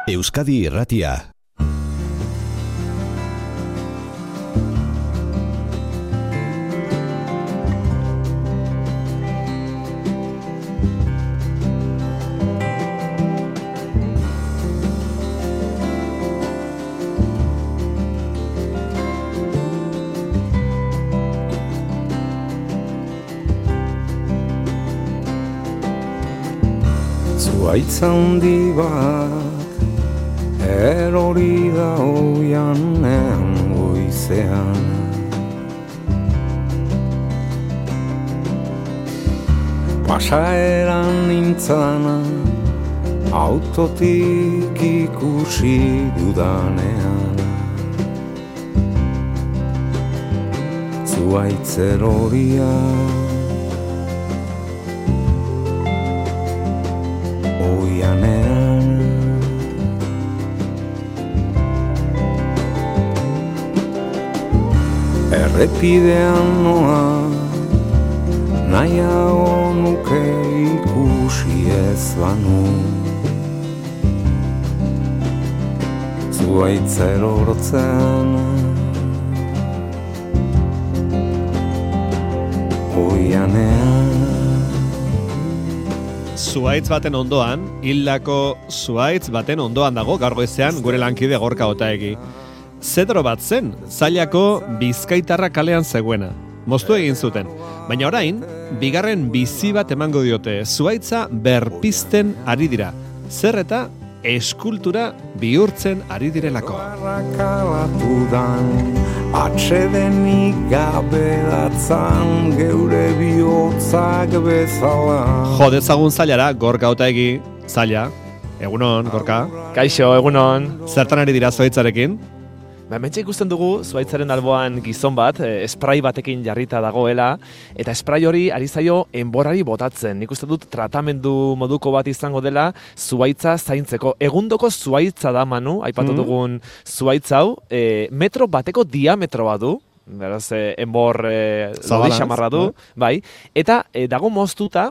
Euskadi Irratia. Zuhaitz handi bat erori da oianean goizean. Pasaeran nintzana autotik ikusi dudanean. Zuhaitz eroria oianean. Errepidean noa nahiago nuke ikusi ez banu. Zuhaitz erortzen oianean. Zuhaitz baten ondoan, hildako zuhaitz baten ondoan dago gaur goizean gure lankide Gorka Otaegi. Zedro bat zen, Zailako Bizkaitarra kalean zegoena. Moztu egin zuten, baina orain, bigarren bizi bat emango diote, zuhaitza berpizten ari dira. Zer eta eskultura bihurtzen ari direlako. Atsedenik gabe datzan geure bihotzak bezala. Jo dezagun Zailara, Gorka Otaegi. Zaila, egunon, Gorka. Kaixo, egunon. Zertan ari dira zuhaitzarekin? Hementxe ikusten dugu zuhaitzaren alboan gizon bat, spray batekin jarrita dagoela, eta spray hori ari zaio enborrari botatzen. Nik uste dut tratamendu moduko bat izango dela zuhaitza zaintzeko. Egundoko zuhaitza da, Manu, aipatu dugun zuhaitz hau, metro bateko diametroa du, beraz, enbor lodi xamarra du, bai, eta dago moztuta,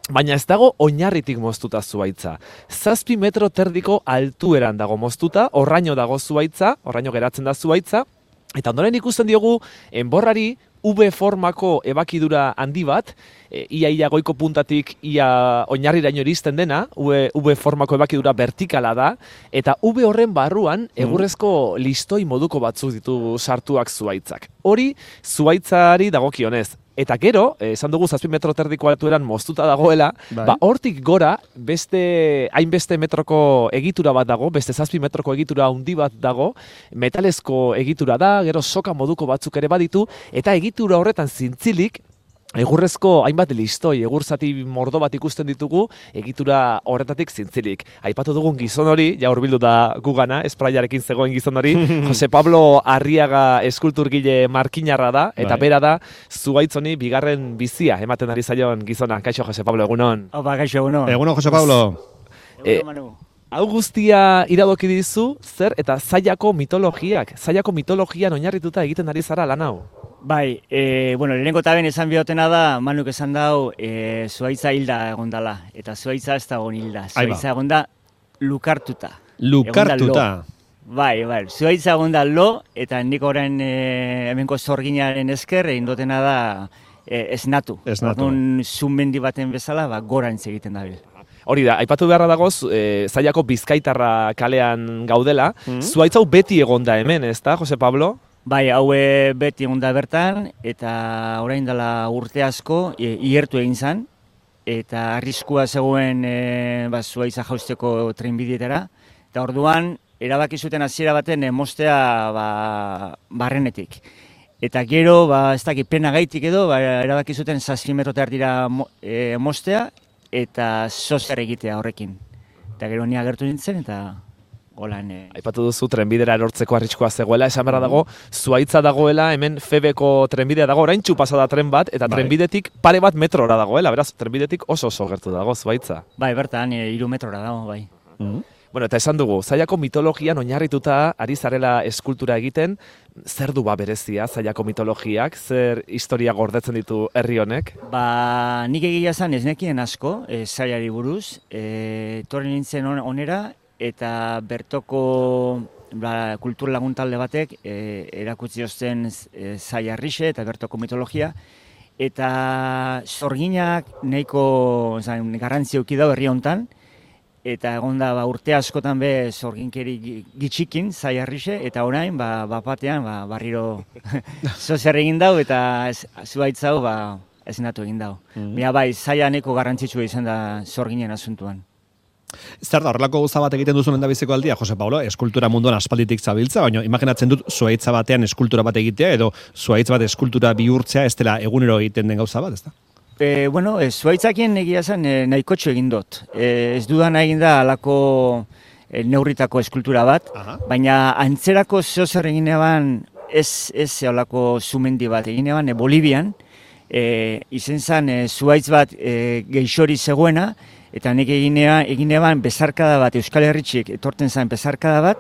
baina ez dago oinarritik moztuta zuhaitza. 7 metro terdiko altueran dago moztuta, horraino dago zuhaitza, horraino geratzen da zuhaitza, eta ondoren ikusten diogu enborrari V formako ebakidura handi bat, ia goiko puntatik ia oinarriraino iristen dena, V formako ebakidura vertikala da, eta V horren barruan egurrezko listoi moduko batzuk ditu sartuak zuhaitzak. Hori zuhaitzari dagokionez. Eta gero, esan dugu 7 metro terdiko altueran moztuta dagoela, hortik gora beste hainbeste metroko egitura bat dago, beste 7 metroko egitura handi bat dago, metalezko egitura da, gero soka moduko batzuk ere baditu, eta egitura horretan zintzilik, egurrezko hainbat listoi, egur zati mordo bat ikusten ditugu, egitura horretatik zintzilik. Aipatu dugun gizon hori, ja hurbildu da gugana, espraiarekin zegoen gizon hori, Jose Pablo Arriaga eskulturgile markinarra da, eta bera da, zuhaitz honi bigarren bizia ematen ari zaion gizona. Kaixo, Jose Pablo, egunon. Opa, kaixo, egunon. Egunon, Jose Pablo. Egunon, Manu. Hau guztia iradoki dizu, zer eta Zailako mitologiak, Zailako mitologian oinarrituta egiten ari zara lan hau? Bai, lehenengo taben esan bihotena da, Manuk esan dau, zuhaitza hilda egon dala, eta zuhaitza ez da egon hilda, zuhaitza egon da lukartuta. Lukartuta? Bai, zuhaitza egon da lo, eta nik orain hemenko zorginaren esker, egin dutena da esnatu. Orduan zunmendi baten bezala, gorantz egiten dabil. Hori da, aipatu beharra dagoz, Zailako Bizkaitarra kalean gaudela, zuhaitz hau beti egon da hemen, ez da, Jose Pablo? Bai, hau beti egon da bertan, eta orain dela urte asko ihertu egin zen, eta arriskua zegoen zuhaitza jausteko trenbidietara, eta orduan erabaki zuten hasiera baten moztea barrenetik. Eta gero, ez dakit pena gaitik edo, erabaki zuten 7 metro erdira moztea, eta sozer egitea horrekin. Eta gero ni agertu nintzen, eta holan... Aipatu duzu trenbidera erortzeko arriskua zegoela, esan berra dago, zuhaitza dagoela, hemen Febeko trenbidea dago, oraintxu pasada tren bat, eta trenbidetik pare bat metrora dagoela, beraz, trenbidetik oso gertu dago zuhaitza. Bai, bertan, 3 metrora dago, bai. Bueno, eta esan dugu, Zailako mitologian oinarrituta ari zarela eskultura egiten, zer du berezia Zailako mitologiak, zer historia gordetzen ditu herri honek? Nik egia esan ez nekien asko, Zailari buruz, torri nintzen onera, eta bertoko kultur laguntalde batek erakutsi osten Zaiarrixe eta bertoko mitologia, eta sorginak nahiko garrantzi eduki da herri hontan, eta egon da urte askotan be sorginkeri gitxikin Zaiarrixe, eta orain batean barriro zozer egin dau, eta zuaitz hau ezinatu egin dau. Mira bai, Zaia nahiko garrantzitsua izan da sorginen asuntuan. Zer da, horrelako gauza bat egiten duzun endabiziko aldia, Jose Paulo, eskultura munduan aspalditik zabiltza, baina imaginatzen dut zuaitza batean eskultura bat egitea, edo zuaitz bat eskultura bihurtzea ez dela egunero egiten den gauza bat, ez da? Zuaitzakien egia zen nahikotxo egin dut. Ez dudan egin da alako neurritako eskultura bat, baina antzerako zeozer egin eban ez alako sumendi bat egin eban Bolivian, izen zen zuaitz bat geixori zegoena, eta nik egin eban bezarkada bat, Euskal Herritxik etorten zen bezarkada bat,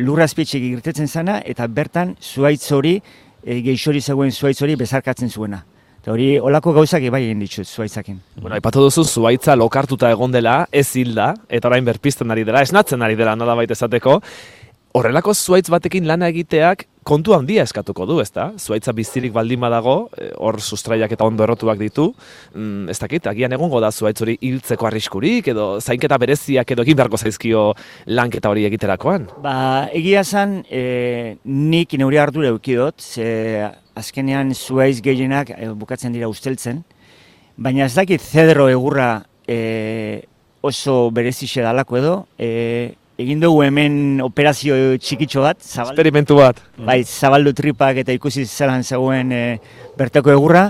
lurrazpitxik irtetzen zena, eta bertan zuaitz hori, geixori zegoen zuaitz hori bezarkatzen zuena. Eta hori, olako gauzak bai egin ditut zuaitzakin. Bueno, aipatu duzu zuaitza lokartuta egon dela, ez hilda, eta orain berpizten ari dela, esnatzen ari dela nolabait esateko. Horrelako zuaitz batekin lana egiteak kontu handia eskatuko du, ezta? Zuaitza bizirik baldin badago, hor sustraiak eta ondo errotuak ditu, ez dakit, agian egongo da zuaitz hori hiltzeko arriskurik, edo zainketa bereziak edo egin beharko zaizkio lanketa hori egiterakoan? Egia zen, nik neure ardura eukidot, ze azkenean zuaitz gehienak bukatzen dira usteltzen, baina ez dakit zedro egurra oso berezixe dalako edo, egin dugu hemen operazio txikitxo bat. Experimentu bat. Bai, zabaldu tripak eta ikusi zelan zegoen bertako egurra,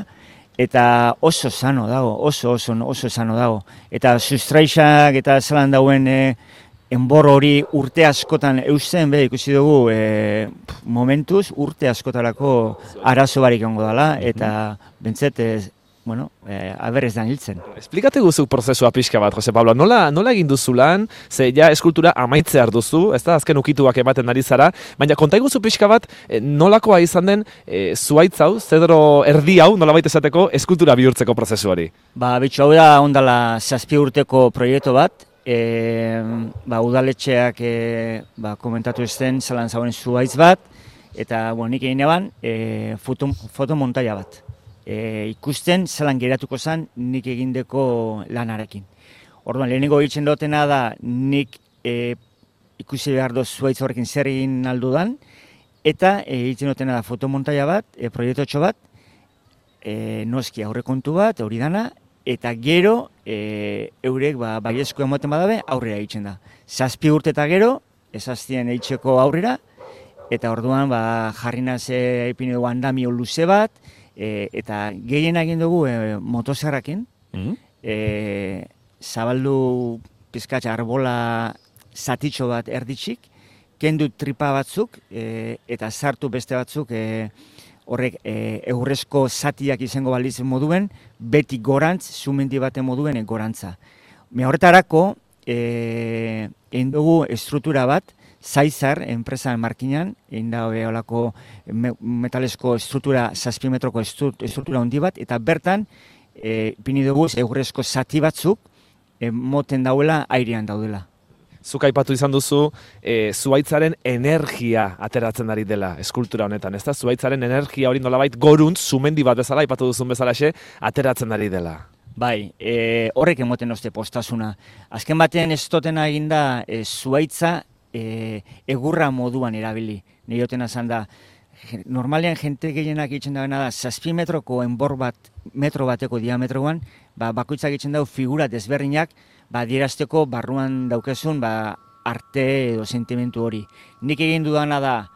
eta oso sano dago, oso sano dago. Eta sustraixak eta zelan dauen enbor hori urte askotan eusten, ikusi dugu momentuz urte askotarako arazo barik egongo dela, eta bentzet aber ez da hiltzen. Esplikate guzuk prozesua pixka bat, Jose Pablo. Nola egin duzu lan, ze ja eskultura amaitzear duzu, ez da, azken ukituak ematen ari zara, baina konta guzu pixka bat, nolakoa izan den zuaitz hau, zedro erdi hau, nolabait esateko, eskultura bihurtzeko prozesu hori? Bitxo hau da ondala 7 urteko proiektu bat, udaletxeak komentatu ezten zelan zauen zuaitz bat, eta nik egin eban fotomontaia bat. Ikusten zelan geratuko zen nik egindeko lanarekin. Orduan, lehenengo egiten dutena da nik ikusi behar doz zuaitz horrekin zer egin aldudan, eta egiten dutena da fotomontaia bat, proiektotxo bat, noski aurrekontu bat, hori dana, eta gero eurek baiezko emoten badabe aurrera egiten da. 7 urte eta gero, ezaztien eitzeko aurrera, eta orduan jarri naze ipini dugu andamio luze bat, eta gehien egin dugu motozerrakin, zabaldu pizkatxa arbola zatitxo bat erditxik, kendu tripa batzuk, eta sartu beste batzuk horrek egurrezko zatiak izango baliz moduen, beti gorantz, sumendi baten moduen gorantza. Horretarako, egin dugu estruktura bat, Zaizar, enpresan markinan, egin da olako metalesko estruktura, 7 metroko estruktura handi bat, eta bertan, pini dugu egurrezko zati batzuk, moten dauela, airean daudela. Zuk aipatu izan duzu, zuaitzaren energia ateratzen ari dela eskultura honetan, ezta? Zuaitzaren energia hori nolabait goruntz, sumendi bat bezala, aipatu duzun bezalaxe, ateratzen ari dela. Bai, horrek emoten oste postasuna. Azken batean ez dotena eginda zuaitza, egurra moduan erabili. Nirotena zan da, normalean jente gehienak egiten da 7 metroko enbor bat, metro bateko diametroan, bakoitzak egiten dago figura desberdinak, dierazteko barruan daukezun arte edo sentimentu hori. Nik egin dudana da,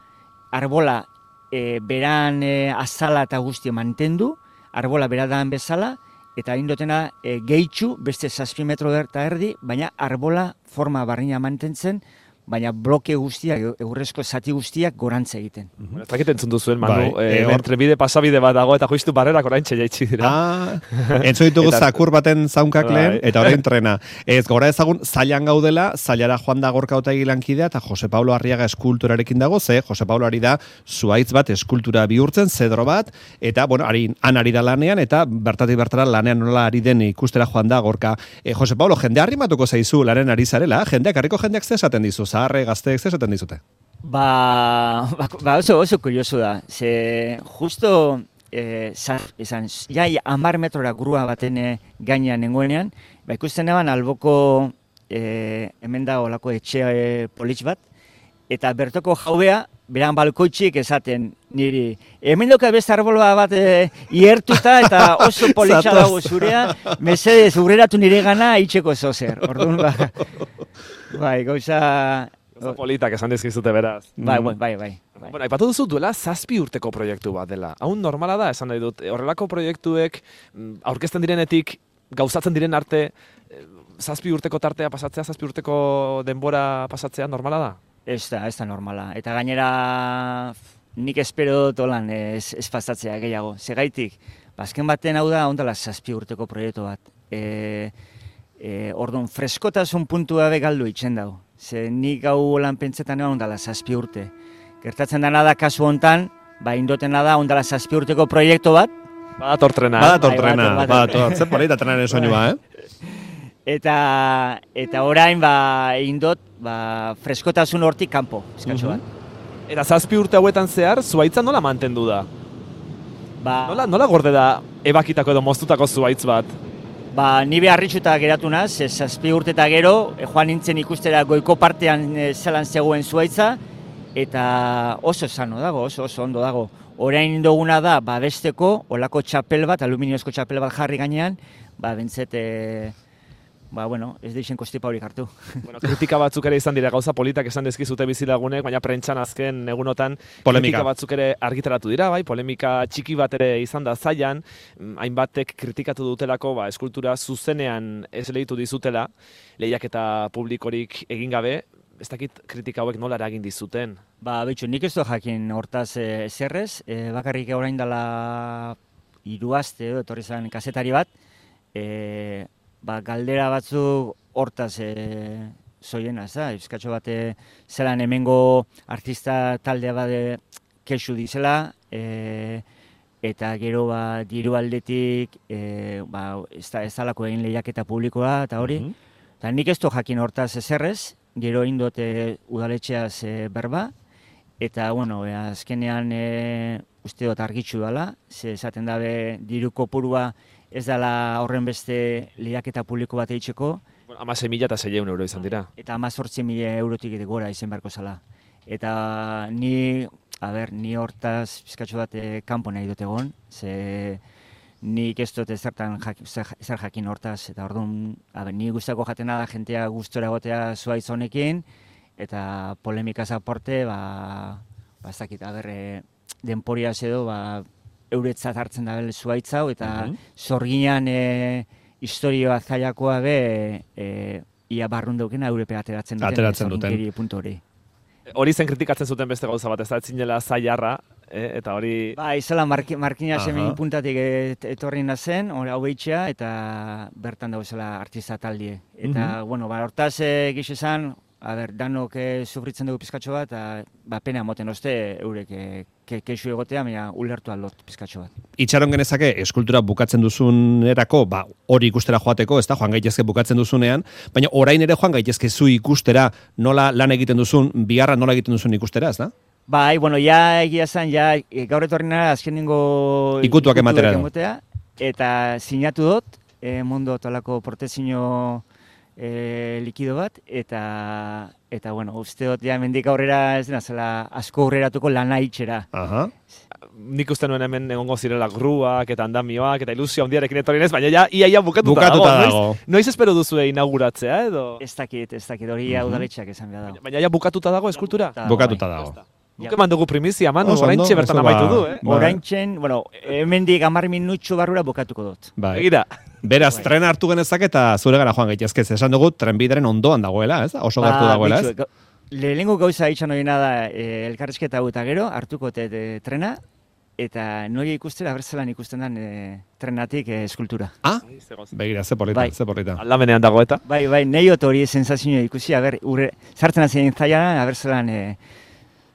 arbola beran azala eta guztia mantendu, arbola beradan bezala, eta egin dutena gehitxu, beste 7 metro eta erdi, baina arbola forma barrina mantentzen, baina bloke guztiak, egurrezko zati guztiak gorantza egiten. Ez dakit entzun duzuen, Manu, Bai, trenbide pasabide bat dago, eta justu barrerak oraintxe jaitsi dira. Entzo ditugu Eta- zakur baten zaunkak Bai. lehen, eta orain trena. Ez, gora ezagun, zailan gaudela, zailara joan da Gorka Otegi lankidea, eta Jose Pablo Arriaga eskulturarekin dago, ze Jose Pablo ari da zuhaitz bat eskultura bihurtzen, zedro bat, eta, bueno, han ari da lanean, eta bertatik bertara lanean nola ari den ikustera joan da Gorka. Jose Pablo, jende arrimatuko zaizu lanen ari zarela, jendeak, harriko jendeak ze esaten dizu, zaharre, gazteek ze esaten dizute? Ba oso kurioso da. Ze justo esan, ja 10 metrora grua baten gainean nengoenean, ba ikusten eban alboko hemen da olako etxe politx bat, eta bertoko jaubea, beran balkoitxik esaten niri, hemen doka beste arbolba bat iertuta eta oso politxa dago zurea, mesedez urreratu nire gana itxeko zozer. Orduan, bai, gauza... Oso politak esan dizkizute beraz. Bai. Bueno, aipatu duzu duela 7 urteko proiektu bat dela. Hau normala da, esan nahi dut, horrelako proiektuek aurkezten direnetik, gauzatzen diren arte, 7 urteko tartea pasatzea, 7 urteko denbora pasatzea normala da? Ez da normala. Eta gainera nik espero dut holan ez pasatzea gehiago. Segaitik, azken baten hau da, ondala 7 urteko proiektu bat. Orduan, freskotasun puntua be galdu itzen dago. Ze nik hau lan pentsetan egon ondala 7 urte. Gertatzen dena da kasu hontan, indotena da ondala 7 urteko proiektu bat. Badator trena. Badator, zer polita trenaren soinua, Eta orain indot freskotasun hortik kanpo, eskatxo bat. Eta 7 urte hauetan zehar, zuhaitza nola mantendu da? Nola gorde da ebakitako edo moztutako zuhaitz bat? Ni beharritxuta geratu naz, 7 urte eta gero, joan nintzen ikustera goiko partean zelan zegoen zuhaitza, eta oso sano dago, oso ondo dago. Orain duguna da, besteko, olako txapel bat, aluminiozko txapel bat jarri gainean, bentzet, ez deixen kostipa hori hartu. Kritika batzuk ere izan dira, gauza politak esan dizkizute bizilagunek, baina prentxan azken egunotan Polemika. kritika batzuk ere argitaratu dira, polemika txiki bat ere izan da zailan, hainbatek kritikatu dutelako, eskultura zuzenean ez lehitu dizutela, lehiaketa publikorik egin gabe, ez dakit kritika hauek nola eragin dizuten? Betxo, nik ez du jakin hortaz zerrez, bakarrik orain dela 3 aste etorri zen kazetari bat, galdera batzuk hortaz zoienaz da, euskatxo bat zelan hemengo artista taldea bat kexu dizela, eta gero diru aldetik ez dalako egin lehiaketa publikoa eta hori. Eta nik ez du jakin hortaz zerrez, gero indot udaletxeaz berba, eta azkenean uste dut argitxu dela, ze esaten dabe diru kopurua ez dela horren beste lehiaketa publiko bat eitzeko. 16.600 euro izan dira. Eta 18.000 eurotik gora izen beharko zela. Eta ni hortaz pizkatxo bat kanpo nahi dut egon, ze nik ez dut zer jakin hortaz, eta orduan, ni guztako jatena da jentea gustora egotea zuhaitz honekin, eta polemikaz aporte, ez dakit, denporiaz edo, euretzat hartzen da zuhaitz hau, eta zorginan historioa zailakoa ia barrun daukena Europe ateratzen duten puntu hori. Hori zen kritikatzen zuten beste gauza bat, ez da etzinela zailarra, eta hori... Izela Markina semen puntatik etorri nazen, hau behitxea, eta bertan dauzela artista taldie. Eta, hortaz gizu esan, danok sufritzen dugu pizkatxo bat, eta pena moten oste eurek kexu egotea, baina ulertu aldot pizkatxo bat. Itxaron genezake, eskultura bukatzen duzunerako, hori ikustera joateko, ez da, joan gaitezke bukatzen duzunean, baina orain ere joan gaitezke zu ikustera nola lan egiten duzun, bigarra nola egiten duzun ikustera, ez da? Ja egia zen, gaur etorri nara azkenengo ikutuak ematera. Eta sinatu dut, mundu tolako protezio likido bat, eta uste dut, mendik aurrera ez dena zela asko aurreratuko lana itxera. Nik uste nuen hemen egongo zirela gruak eta andamioak eta ilusio handiarekin etorri nez, baina ia bukatuta dago. Noiz espero duzu inauguratzea edo? Ez dakit, hori udaletxeak esan behar dago. Baina bukatuta dago eskultura? Bukatuta dago. Guk eman dugu primizia, Manu, oraintxe bertan amaitu du, Oraintxen, hemendik 10 minutxo barrura bukatuko dut. Begira. Beraz, tren hartu genezak eta zure gara joan gaitezke, esan dugu trenbideren ondoan dagoela, ez? Oso gertu dagoela, ez? Lehenengo gauza itxan horiena da elkarrizketa hau eta gero, hartuko trena, eta nori ikustera berzelan ikusten den trenatik eskultura. Ah? Begira, ze polita, Bai. ze polita. Aldamenean dago eta. Bai, nahi hori sensazioa ikusi, sartzen azien zaila, berzelan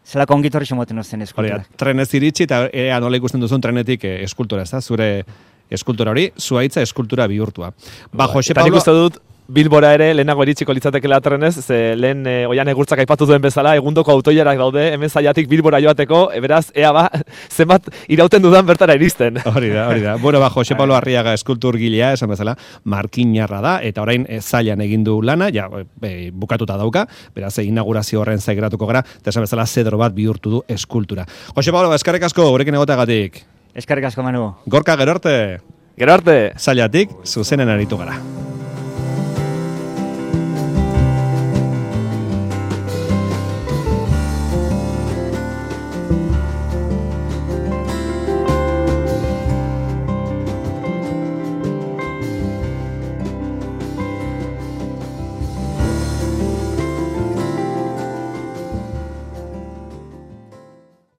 zelako ongitorri moten ozten Hori, eskultura. trenez iritsi eta ea nola ikusten duzun trenetik eskultura, ez da? Zure eskultura hori, zuaitza eskultura bihurtua. Ba, Jose Eta nik Pablo... uste dut, Bilbora ere lehenago iritsiko litzatekela trenez, ze lehen oian egurtzak aipatu duen bezala, egundoko autoiarak daude, hemen zailatik Bilbora joateko, beraz, ea ba, zenbat irauten dudan bertara iristen. Hori da. Bueno, ba, Jose Pablo Arriaga eskulturgilea, esan bezala, markinarra da, eta orain zailan egin du lana, ja, bukatuta dauka, beraz, inaugurazio horren zaigeratuko gara, eta esan bezala, zedro bat bihurtu du eskultura. Jose Pablo, eskerrik asko, gurekin egotagatik. Eskerrik asko, Manu. Gorka, gero arte. Gero arte! Zailatik, zuzenen aritu gara.